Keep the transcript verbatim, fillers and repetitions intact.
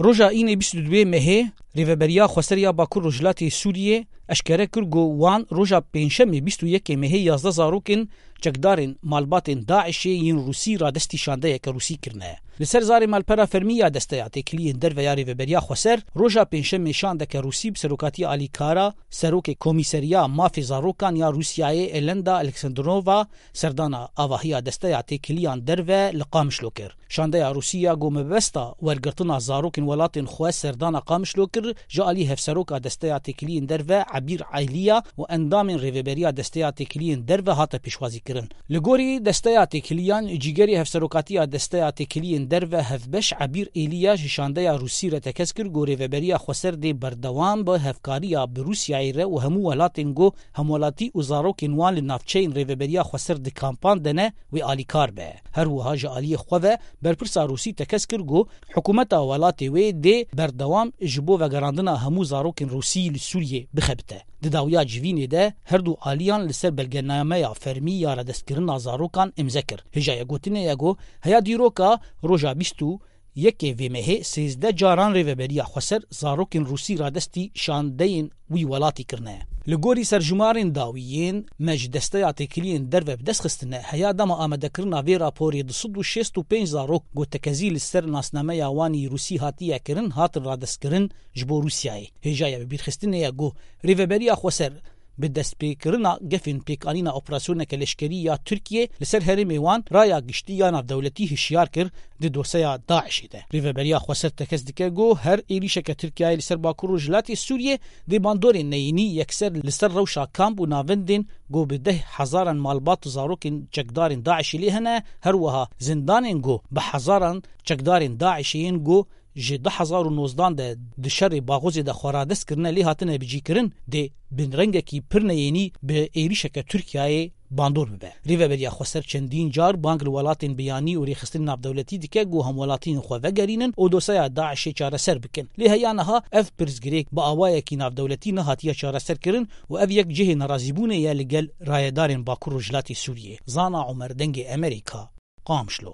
Roja înê bîst û duyê mehê, Rêveberiya Xweser ya Bakur Rojhilatê Sûriyê eşkere kir ku wan roja Pêncşemê bîst û yekê mehê yazdeh zarokên çekdarên malbatên DAIŞ'ê yên Rûsî radestî şandeyeke Rûsî kirine. Li ser zarê malpera fermî ya Desteya Têkiliyên Derve ya Rêveberiya Xweser, roja Pêncşemê şandeke Rûsî bi serokatiya Alî Kara, serokê Komîseriya Mafê Zarokan ya Rûsyayê Elenda Alexandrova, serdana avahiya Desteya Têkiliyan Derve li Qamişlo kir. Şandeya Rûsî ya ku mebesta wergirtina zarokên welatên xwe serdana Qamişlo kir, ji alî hevseroka Desteya Têkiliyên Derve Ebîr Eyliya û endamên Rêveberiya Desteya Têkiliyên Derve hate pêşwazîkirin. Li gorî Desteya Têkiliyan, cîgerê hevserokatiya Desteya Têkiliyên Derve hevbeş Ebîr Eyliya ji şandeya Rûsî re tekez kir ku Rêveberiya Xweser dê berdewam bi hevkariya bi Rûsyayê re û hemû welatên ku hemwelatî û zarokên wan li navçeyên Rêveberiya Xweser di kampan de ne, wê alîkar be. Her wiha ji aliyê xwe ve berpirsa Rûsî tekez kir ku hikûmeta welatê wê dê berdewam ji bo vegerandina hemû zarokên Rûsî li Sûriyê bixebite. Di dawiya civînê de her du aliyan li ser belgenameya fermî ya radestkirina zarokan îmze kir. Hêjayê gotinê ye ku heya dîroka roja bîst û yekê vê mehê sêzdeh caran Rêveberiya Xweser zarokên Rûsî radestî şandeyên wî welatî kirine. Li gorî serjimarên dawî yên me ji Desteya Têkiliyên Derve bi dest xistine, heya dema amadekirina vê raporê du sed û şêst û pênc zarok ku tekezî li ser nasnameya wan î Rûsî hatiye kirin, hatin radestkirin ji bo Rûsyayê. Hêjayê bibîrxistinê ye ku Rêveberiya Xweser bi destpêkirina gefên pêkanîna operasyoneke leşkerî ya Tirkiyê li ser herêmê wan raya giştî ya navdewletî hişyar kir di dosyeya DAIŞ'ê de. Rêveberiya Xweser tekez dike ku her êrîşeke Tirkiyeyê li ser Bakur Rojhilatê Sûriyê dê bandorên neyînî yekser li ser rewşa kamp û navendên ku bi deh hezaran malbat û zarokên çekdarên DAIŞ'ê lê hene, her wiha zindanên ku bi hezaran çekdarên DAIŞ'ê yên ku ji du hezar û nozdan de di şerê Baxozê de xwe radest kirine lê hatine bicîkirin, dê bi rengekî pir neyênî bi êrîşeke Tirkiyeyê bandor bibe. Rêveberiya Xweser çendîn car bang li welatên biyanî û rêxistinên navdewletî dike ku hemwelatiyên xwe vegerînin û dosyeya DAIŞ'ê çareser bikin. Lê heya niha ev pirsgirêk bi awayekî navdewletî nehatiye çareserkirin û ev yek cihê nerazîbûnê ye li gel rayedarên Bakur Rojhilatê Sûriyê. Zana Omer, Dengê Emerîka, Qamişlo.